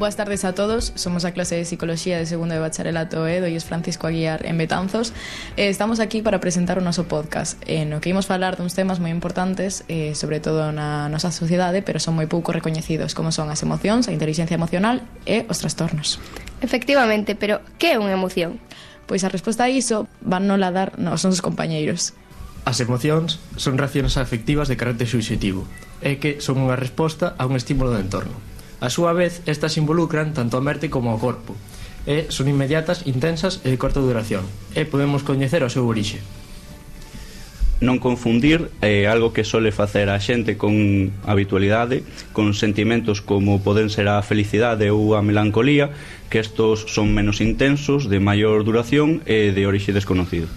Boas tardes a todos, somos a clase de Psicología de segundo de bacharelato e doies Francisco Aguiar en Betanzos. Estamos aquí para presentar o noso podcast no que imos falar duns temas moi importantes, sobre todo na nosa sociedade, pero son moi pouco recoñecidos, como son as emocións, a inteligencia emocional e os trastornos. Efectivamente, pero que é unha emoción? Pois a resposta a iso van nola dar os nosos compañeiros. As emocións son reaccións afectivas de carácter subxetivo e que son unha resposta a un estímulo do entorno. A súa vez, estas involucran tanto a mente como ao corpo e son inmediatas, intensas e de corta duración e podemos coñecer o seu orixe. Non confundir algo que sole facer a xente con habitualidade con sentimentos como poden ser a felicidade ou a melancolía, que estos son menos intensos, de maior duración e de orixe desconocido.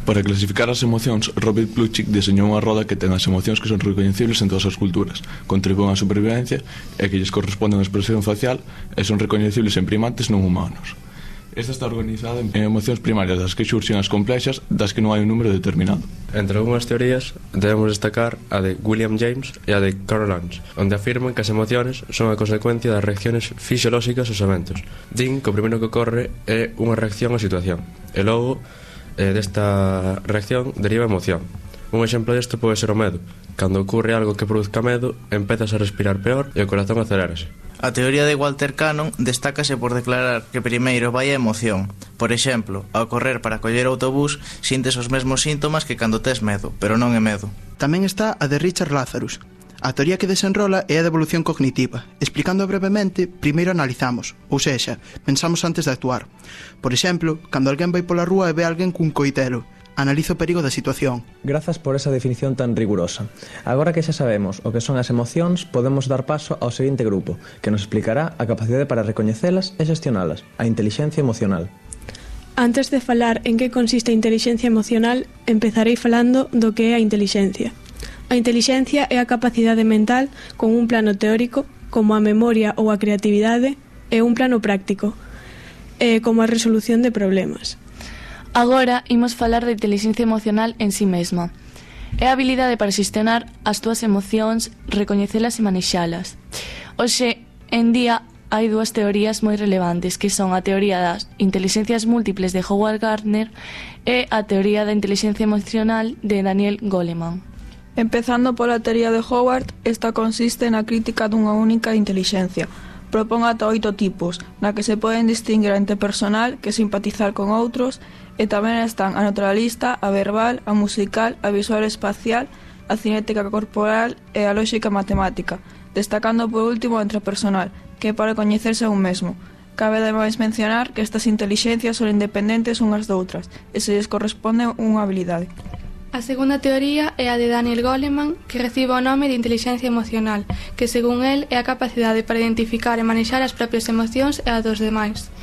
Para clasificar as emocións, Robert Plutchik deseñou unha roda que ten as emocións que son recoñecibles en todas as culturas, contribúen á supervivencia e que lles corresponde unha expresión facial e son recoñecibles en primates non humanos. Esta está organizada en emocións primarias das que xurxen as complexas, das que non hai un número determinado. Entre algunhas teorías debemos destacar a de William James e a de Carol Lange, onde afirman que as emociones son a consecuencia das reacciones fisiolóxicas aos eventos. Din que o primeiro que ocorre é unha reacción á situación e logo desta reacción deriva emoción. Un exemplo desto pode ser o medo. Cando ocurre algo que produzca medo, empezas a respirar peor e o corazón acelérase. A teoría de Walter Cannon destácase por declarar que primeiro vai a emoción. Por exemplo, ao correr para coller o autobús, sintes os mesmos síntomas que cando tes medo, pero non é medo. Tamén está a de Richard Lazarus. A teoría que desenrola é a de evolución cognitiva. Explicando brevemente, primeiro analizamos, ou sexa, pensamos antes de actuar. Por exemplo, cando alguén vai pola rúa e ve alguén cun coitelo, analiza o perigo da situación. Grazas por esa definición tan rigurosa. Agora que xa sabemos o que son as emocións, podemos dar paso ao seguinte grupo, que nos explicará a capacidade para recoñecelas e xestionalas, a intelixencia emocional. Antes de falar en que consiste a intelixencia emocional, empezarei falando do que é a intelixencia. A intelixencia é a capacidade mental con un plano teórico, como a memoria ou a creatividade, e un plano práctico, como a resolución de problemas. Agora imos falar da intelixencia emocional en si mesma. É a habilidade para xestionar as túas emocións, recoñecelas e manexalas. Hoxe en día hai dúas teorías moi relevantes, que son a teoría das intelixencias múltiples de Howard Gardner e a teoría da intelixencia emocional de Daniel Goleman. Empezando pola teoría de Howard, esta consiste na crítica dunha única intelixencia. Propón ata 8 tipos, na que se poden distinguir a interpersonal, que simpatizar con outros, e tamén están a naturalista, a verbal, a musical, a visual espacial, a cinética corporal e a lóxica matemática, destacando por último a intrapersonal, que é para coñecerse a un mesmo. Cabe ademais mencionar que estas intelixencias son independentes unhas doutras e se lles corresponde unha habilidade. A segunda teoría é a de Daniel Goleman, que recibe o nome de intelixencia emocional, que según el é a capacidade para identificar e manexar as propias emocións e a dos demais.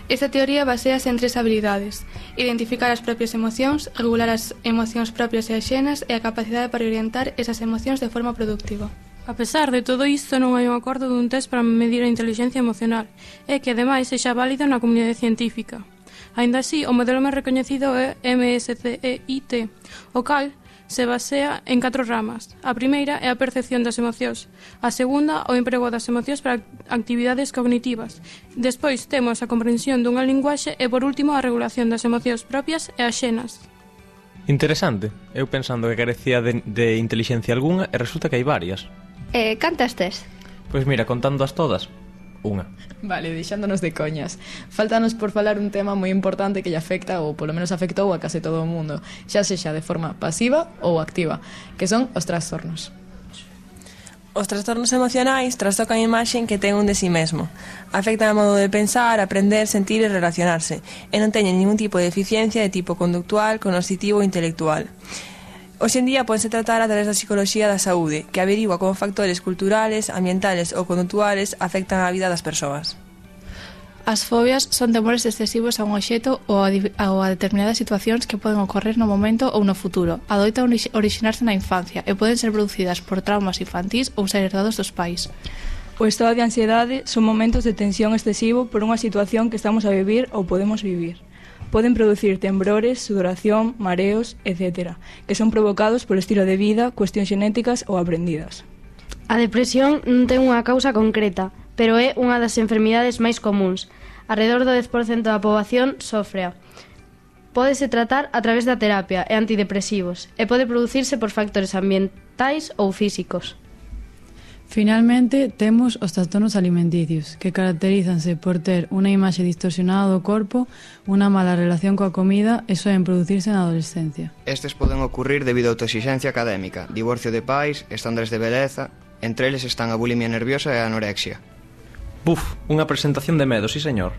Esta teoría basease en 3 habilidades: identificar as propias emocións, regular as emocións propias e axenas e a capacidade para orientar esas emocións de forma productiva. A pesar de todo isto, non hai un acordo dun test para medir a intelixencia emocional, e que ademais sexa válido na comunidade científica. Aínda así, o modelo máis recoñecido é MSCEIT, o cal se basea en 4 ramas. A primeira é a percepción das emocións, a segunda, o emprego das emocións para actividades cognitivas. Despois temos a comprensión dunha linguaxe e, por último, a regulación das emocións propias e axenas. Interesante. Eu pensando que carecía de intelixencia algunha e resulta que hai varias. Cantas tes? Pois mira, contándoas todas, unha. Vale, deixándonos de coñas. Faltanos por falar un tema moi importante que lle afecta, ou polo menos afectou a case todo o mundo, xa sexa de forma pasiva ou activa, que son os trastornos. Os trastornos emocionais trastocan a imaxe que ten un de si mesmo. Afectan o modo de pensar, aprender, sentir e relacionarse, e non teñen ningún tipo de deficiencia de tipo conductual, cognoscitivo ou intelectual. Hoxe en día pódense tratar a través da psicoloxía da saúde, que averigua como factores culturales, ambientales ou conductuales afectan a vida das persoas. As fobias son temores excesivos a un obxecto ou a determinadas situacións que poden ocorrer no momento ou no futuro. Adoitan orixinarse na infancia e poden ser producidas por traumas infantís ou ser herdados dos pais. O estado de ansiedade son momentos de tensión excesivo por unha situación que estamos a vivir ou podemos vivir. Poden producir temblores, sudoración, mareos, etc., que son provocados polo estilo de vida, cuestións xenéticas ou aprendidas. A depresión non ten unha causa concreta, pero é unha das enfermidades máis comuns. Arredor do 10% da poboación sofrea. Pódese tratar a través da terapia e antidepresivos e pode producirse por factores ambientais ou físicos. Finalmente, temos os trastornos alimenticios, que caracterízanse por ter unha imaxe distorsionada do corpo, unha mala relación coa comida e soen producirse na adolescencia. Estes poden ocurrir debido a autoexigencia académica, divorcio de pais, estándares de beleza, entre eles están a bulimia nerviosa e a anorexia. Buf, unha presentación de medo, sí señor.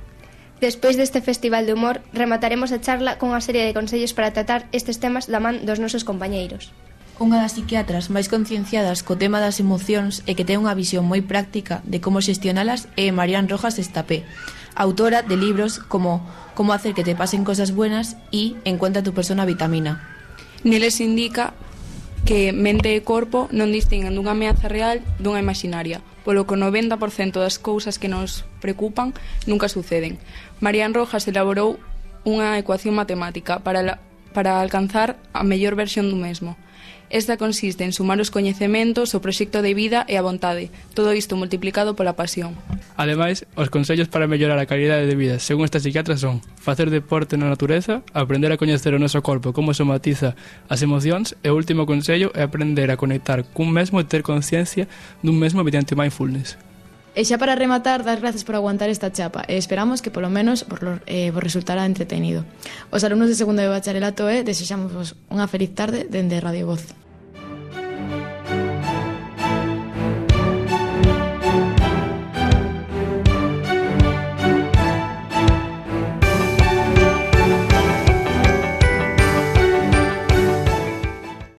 Despois deste festival de humor, remataremos a charla con unha serie de consellos para tratar estes temas da man dos nosos compañeiros. Unha das psiquiatras máis concienciadas co tema das emocións e que ten unha visión moi práctica de como xestionalas é Marian Rojas Estapé, autora de libros como Como hacer que te pasen cosas buenas e Encuentra tu persona vitamina. Neles indica que mente e corpo non distinguen dunha ameaza real dunha imaginaria, polo que o 90% das cousas que nos preocupan nunca suceden. Marian Rojas elaborou unha ecuación matemática para alcanzar a mellor versión do mesmo. Esta consiste en sumar os coñecementos, o proxecto de vida e a vontade, todo isto multiplicado pola pasión. Ademais, os consellos para mellorar a calidade de vida, según esta psiquiatra, son facer deporte na natureza, aprender a coñecer o noso corpo como somatiza as emocións e o último consello é aprender a conectar cun mesmo e ter conciencia dun mesmo mediante mindfulness. E xa para rematar, das gracias por aguantar esta chapa e esperamos que polo menos vos resultará entretenido. Os alumnos de segundo de bacharelato desexamos unha feliz tarde dende Radio Voz.